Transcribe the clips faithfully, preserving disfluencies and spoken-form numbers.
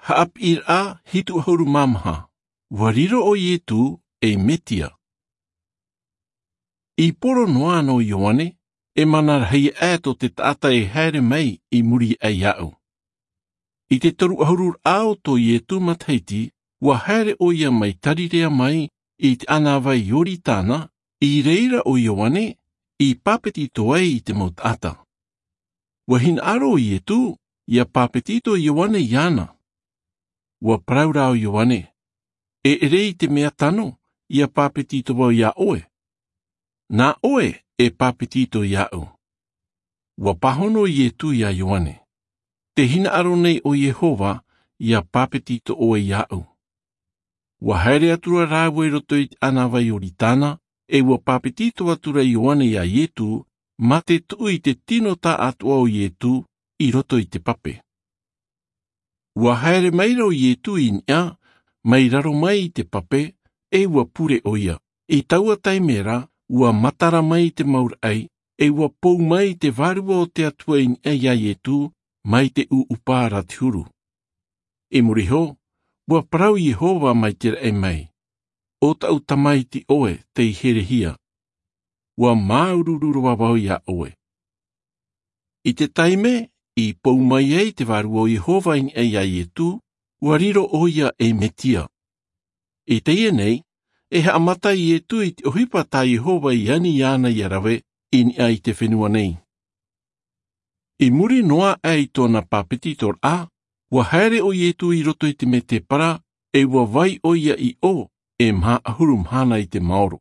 Haʻapiʻiraʻa hitu ʻahuru mā maha. Ua riro ʻo Ietu ei Metia. I poro noa ʻana ʻo Ioane, e mana rahi aʻe tō te taʻata e haere mai i muri aʻe iāʻu. I te toru ʻahuru raʻa o tō Ietu matahiti, ua haere ʻoia mai Tarirea mai i te ʻānāvai Ioritana, i reira ʻo Ioane i pāpetito ai i te mau taʻata. Ua hinaʻaro ʻo Ietu ʻia pāpetito Ioane iāna. Ua parau rā ʻo Ioane, e ʻere i te mea tano ʻia pāpetito vau iā ʻoe. Nā ʻoe e pāpetito iāʻu. Ua pāhono ʻo Ietu iā Ioane, tē hinaʻaro nei ʻo Iehova ʻia pāpetito ʻoe iāʻu. Ua haere atu ra rāua i roto i te ʻānāvai Ioritana, e ua pāpetito atu ra Ioane iā Ietu, mā te tuʻu i te tino taʻatoʻa o Ietu i roto i te pape. Ua haere mai ra ʻo Ietu i niʻa, mai raro mai i te pape, e ua pure ʻoia. I taua taime ra, ua matara mai te mau raʻi, e ua pou mai te Vārua o te Atua i niʻa iā Ietu, mai te ʻūʻupa ra te huru. I muri iho, ua parau Iehova mai te raʻi mai, ʻo taʻu tamaiti ʻoe tei herehia. Ua māuruuru roa vau iā ʻoe. I te taime i pou mai ai te Vārua o Iehova i niʻa iā Ietu, ua riro ʻoia ei Metia. I teie nei, e haʻamata Ietu i te ʻohipa tā Iehova i ani iāna ʻia rave i niʻa i te fenua nei. I muri noa aʻe i tōna pāpetitoraʻa, ua haere ʻo Ietu i roto i te mētēpara, e ua vai ʻoia i ʻō, e maha ʻahuru mahana i te maoro.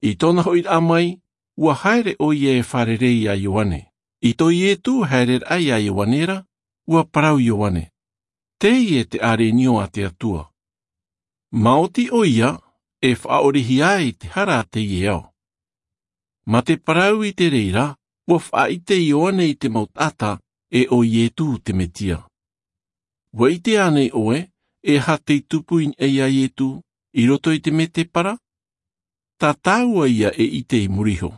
I tōna hoʻiraʻa mai, ua haere ʻoia e fārerei iā Ioane. I tō Ietu haereraʻa iā Ioane ra, ua parau Ioane, teie te ʻĀrenio a te Atua. Maoti ʻoia e faʻaʻorehia ai te hara a teie ao. Mā te parau i te reira, ua faʻaʻite Ioane i te mau taʻata, e ʻo Ietu te Metia. Ua ʻite ānei ʻoe e aha tei tupu i niʻa iā Ietu i roto i te mētēpara? Tā tāua ia e ʻite i muri iho.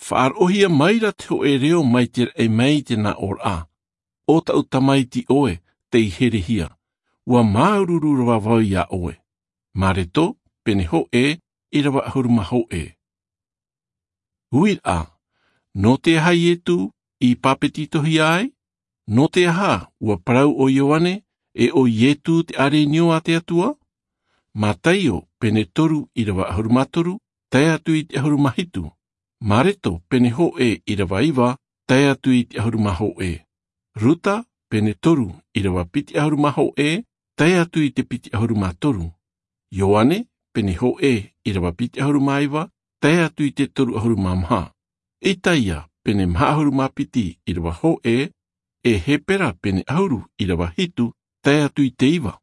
Faʻaroʻohia mai ra te hōʻē reo mai te raʻi mai i te nā ʻōraʻa, ʻo taʻu tamaiti ʻoe tei herehia. Ua māuruuru roa vau iā ʻoe. Mareto, pene hōʻē, ʻirava ʻahuru mā hōʻē. Uiraʻa, nō te aha Ietu i pāpetitohia ai? Nō te aha ua parau ʻo Ioane, e ʻo Ietu te ʻĀrenio a te Atua? Mataio, pene toru, ʻirava ʻahuru mā toru, tae atu i te ʻahuru mā hitu. Mareto, pene hōʻē, ʻirava iva, tae atu i te ʻahuru mā hōʻē. Ruta, pene toru, ʻirava piti ʻahuru mā hōʻē, tae atu i te piti ʻahuru mā toru. Ioane, pene hōʻē, ʻirava piti ʻahuru mā iva, tae atu i te toru ʻahuru mā maha. Itaia, pene maha ʻahuru mā piti, ʻirava hōʻē, e Hepera, pene ʻahuru, ʻirava hitu, tae atu i te iva.